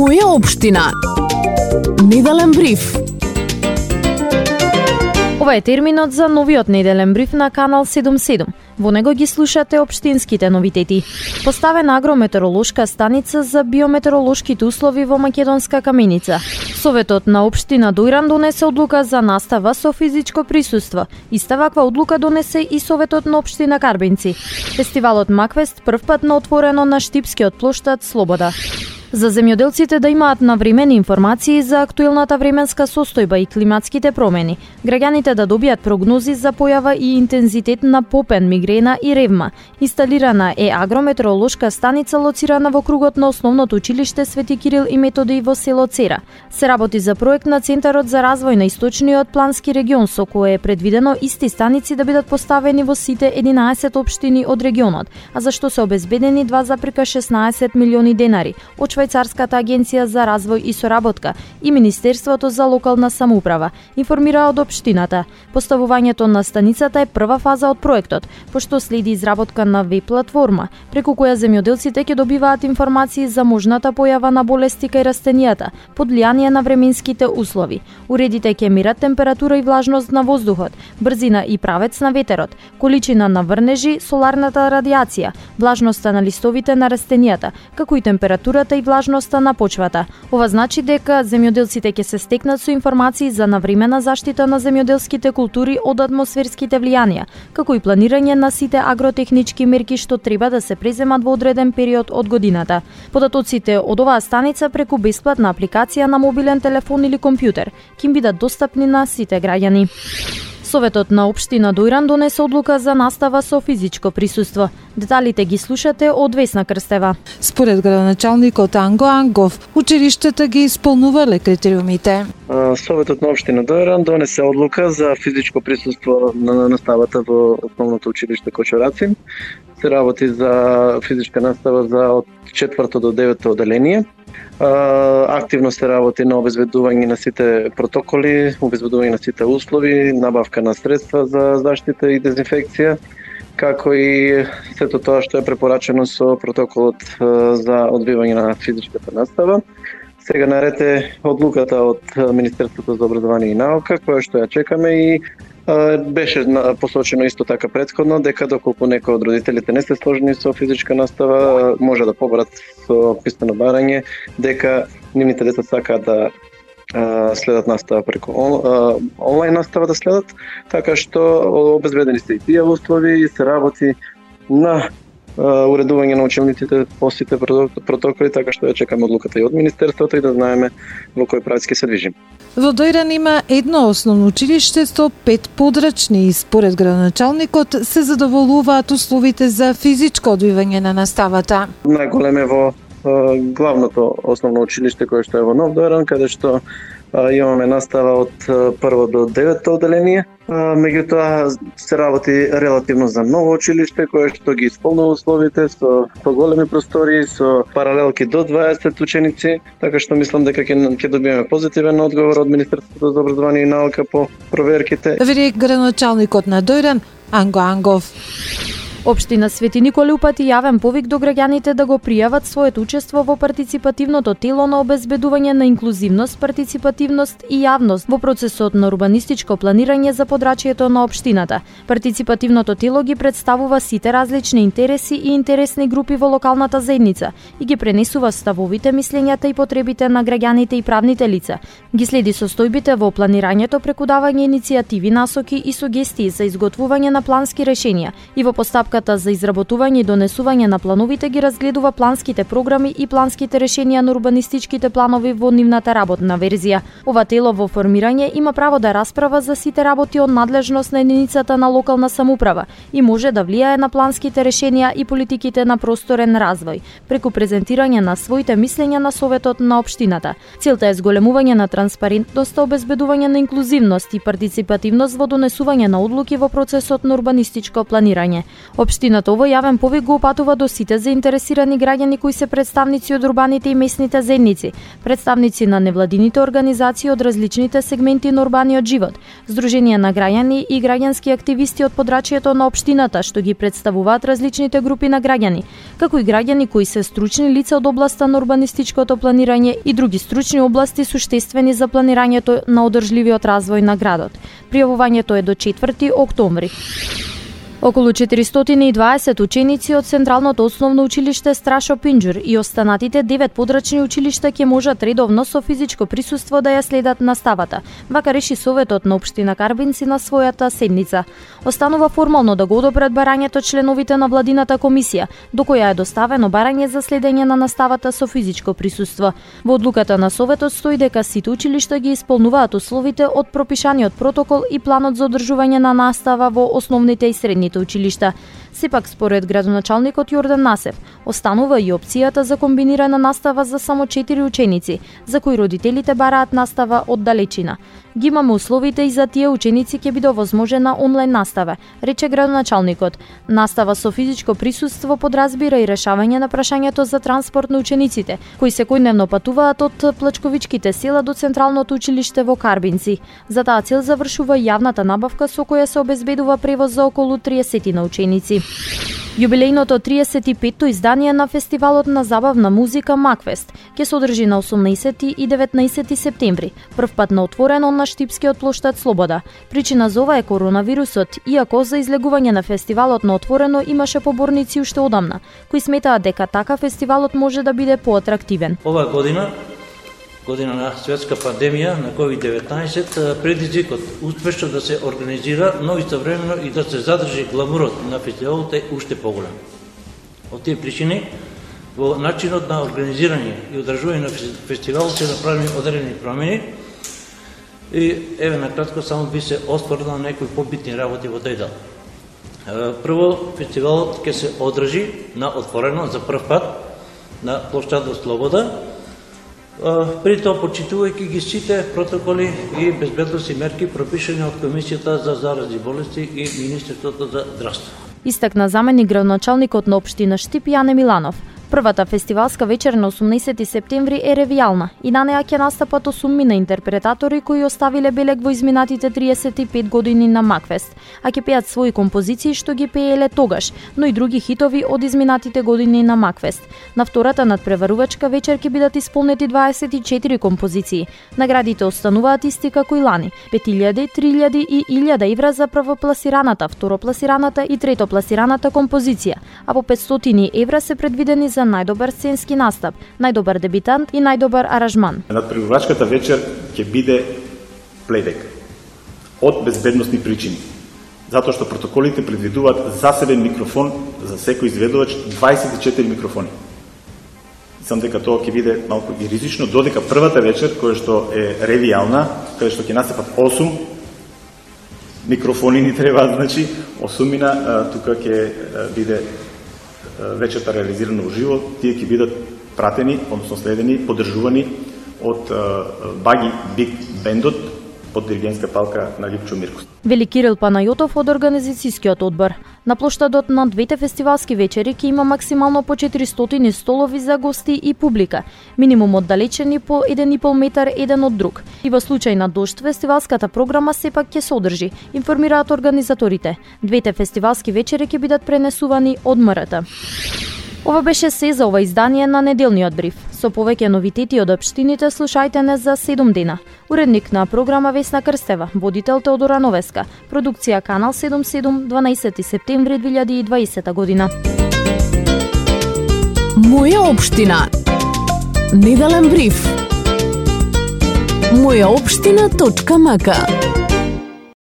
Моја општина. Неделен бриф. Ова е терминот за новиот неделен бриф на Канал 77. Во него ги слушате општинските новитети. Поставена агрометеоролошка станица за биометеоролошките услови во Македонска Каменица. Советот на општина Дојран донесе одлука за настава со физичко присуство. Иста ваква одлука донесе и Советот на општина Карбинци. Фестивалот Макфест првпат на отворено на Штипскиот плоштад Слобода. За земјоделците да имаат навремени информации за актуелната временска состојба и климатските промени, граѓаните да добијат прогнози за појава и интензитет на попен, мигрена и ревма. Инсталирана е агрометеоролошка станица лоцирана во кругот на основното училиште Свети Кирил и Методиј во село Цера. Се работи за проект на Центарот за развој на Источниот плански регион, со кое е предвидено исти станици да бидат поставени во сите 11 општини од регионот, а за што се обезбедени 2,16 милиони денари од Швајцарската агенција за развој и соработка и Министерството за локална самоуправа, информира од општината. Поставувањето на станицата е прва фаза од проектот, пошто следи изработка на веб платформа, преку која земјоделците ќе добиваат информации за можната појава на болести кај растенијата, под влијание на временските услови. Уредите ќе мерат температура и влажност на воздухот, брзина и правец на ветерот, количина на врнежи, соларната радијација, влажноста на листовите на растенијата, како и температурата и влажноста на почвата. Ова значи дека земјоделците ќе се стекнат со информации за навремена заштита на земјоделските култури од атмосферските влијанија, како и планирање на сите агротехнички мерки што треба да се преземат во одреден период од годината. Податоците од оваа станица преку бесплатна апликација на мобилен телефон или компјутер ќе бидат достапни на сите граѓани. Советот на општина Дојран донесе одлука за настава со физичко присуство. Деталите ги слушате од Весна Крстева. Според градоначалникот Анго Ангов, училиштата ги исполнувале критериумите. Советот на општина Дојран донесе одлука за физичко присуство на наставата во основното училиште Кочураци. Се работи за физичка настава за од 4 до 9 оделение. Активно се работи на обезбедување на сите протоколи, обезбедување на сите услови, набавка на средства за заштита и дезинфекција, како и сето тоа што е препорачено со протоколот за одвивање на физичката настава. Сега наред е одлуката од Министерството за образование и наука, која што ја чекаме и беше посочено исто така претходно дека доколку некој од родителите не се сложени со физичка настава, може да побарат со писмено барање дека нивните деца сакаат да следат настава преку онлайн настава да следат, така што обезбедени се и тие услови и се работи на уредување на учениците по сите протоколи, така што ја чекаме одлуката и од Министерството и да знаеме во кој правец ќе се движиме. Во Дојран има едно основно училиште со 5 подрачни и според градоначалникот се задоволуваат условите за физичко одвивање на наставата. Најголем е во главното основно училиште кое што е во Нов Дојран, каде што имаме настава од 1 до 9 оделение. Меѓутоа се работи релативно за ново училиште кое што ги исполнува условите со поголеми простории, со паралелки до 20 ученици, така што мислам дека ќе добиеме позитивен одговор од Министерството за образование и наука по проверките. Вели градоначалникот на Дојран Анго Ангов. Општина Свети Николе упати јавен повик до граѓаните да го пријават своето учество во партиципативното тело на обезбедување на инклузивност, партиципативност и јавност во процесот на урбанистичко планирање за подрачјето на општината. Партиципативното тело ги представува сите различни интереси и интересни групи во локалната заедница и ги пренесува ставовите, мислењата и потребите на граѓаните и правните лица. Ги следи состојбите во планирањето преку давање иницијативи, насоки и сугестии за изготвување на плански решенија и во постапката за изработување и донесување на плановите ги разгледува планските програми и планските решенија на урбанистичките планови во нивната работна верзија. Ова тело во формирање има право да расправа за сите работи од надлежност на единицата на локална самоуправа и може да влијае на планските решенија и политиките на просторен развој, преку презентирање на своите мислења на Советот на општината. Целта е зголемување на транспарентност, обезбедување на инклузивност и партиципативност во донесување на одлуки во процесот на урбанистичко планирање. Општината овој јавен повик го упатува до сите заинтересирани граѓани кои се представници од урбаните и местните заедници, представници на невладините организации од различните сегменти на урбаниот живот, здруженија на граѓани и граѓански активисти од подрачјето на општината што ги представуваат различните групи на граѓани, како и граѓани кои се стручни лица од областа на урбанистичкото планирање и други стручни области суштествени за планирањето на одржливиот развој на градот. Пријавувањето е до 4 октомври. Околу 420 ученици од Централното основно училиште Страшо Пинџур и останатите 9 подрачни училишта ќе можат редовно со физичко присуство да ја следат наставата, вака реши Советот на општина Карбинци на својата седница. Останува формално да го одобрат барањето членовите на владината комисија, до која е доставено барање за следење на наставата со физичко присуство. Во одлуката на Советот стои дека сите училишта ги исполнуваат условите од пропишаниот протокол и планот за одржување на настава во основните и средните училишта. Сепак, според градоначалникот Јордан Насев, останува и опцијата за комбинирана настава за само 4 ученици, за кои родителите бараат настава од далечина. Ги имаме условите и за тие ученици ќе биде овозможена онлайн настава, рече градоначалникот. Настава со физичко присуство подразбира и решавање на прашањето за транспорт на учениците, кои секојдневно патуваат од Плачковичките села до Централното училиште во Карбинци. За таа цел завршува јавната набавка со која се обезбедува превоз за околу 30 на ученици. Јубилејното 35-то издание на фестивалот на забавна музика Макфест ќе се одржи на 18 и 19 септември, првпат на отворено на Штипскиот плоштад Слобода. Причина за ова е коронавирусот, иако за излегување на фестивалот на отворено имаше поборници уште одамна, кои сметаат дека така фестивалот може да биде поатрактивен. Ова година на светска пандемија на COVID-19, предизвикот успешно да се организира, но истовремено и да се задржи гламурот на фестивалот е уште поголем. Од тие причини, во начинот на организирање и одржување на фестивалот се направени одредени промени и еве накратко само би се осврнал некои побитни работи во тој дел. Прво, фестивалот ќе се одржи на отворено за прв пат на плоштадот Слобода, при тоа почитувајќи ги сите протоколи и безбедносни мерки пропишани од Комисијата за заразни болести и Министерството за здравство. Истакна заменик градоначалникот на општина Штип Јане Миланов. Првата фестивалска вечер на 18 септември е ревијална и на неа ќе настапат 8 интерпретатори кои оставиле белег во изминатите 35 години на Макфест, а ќе пеат своји композиции што ги пееле тогаш, но и други хитови од изминатите години на Макфест. На втората надпреварувачка вечер ќе бидат исполнети 24 композиции. Наградите остануваат исти како и лани: 5000, 3000 и 1000 евра за првопласираната, второпласираната и третопласираната композиција, а по 500 евра се предвидени за најдобар сценски настап, најдобар дебитант и најдобар аранжман. Надпреварувачката вечер ќе биде плейбек од безбедносни причини, затоа што протоколите предвидуваат засебен микрофон за секој изведувач, 24 микрофони. Мислам дека тоа ќе биде малку и ризично, додека првата вечер, која што е ревијална, каде што ќе настапат 8 микрофони ни треба, значи 8 тука ќе биде вечерта реализирана уживо, тие ќе бидат пратени, односно следени, поддржувани од Баги Биг Бендот под диригентска палка на Липчо Миркос. Вели Кирил Панајотов од организацијскиот одбор. На плоштадот на двете фестивалски вечери ќе има максимално по 400 столови за гости и публика, минимум оддалечени по 1,5 метар еден од друг. И во случај на дожд, фестивалската програма сепак ќе се одржи, информираат организаторите. Двете фестивалски вечери ќе бидат пренесувани од МРТ. Ова беше се за ова издание на неделниот бриф. Со повеќе новитети од општините слушајте не за 7 дена. Уредник на програма Весна Крстева, водител Теодора Новеска, продукција Канал 77, 12 септември 2020 година. Моја општина. Неделен бриф. Мојаопштина.мк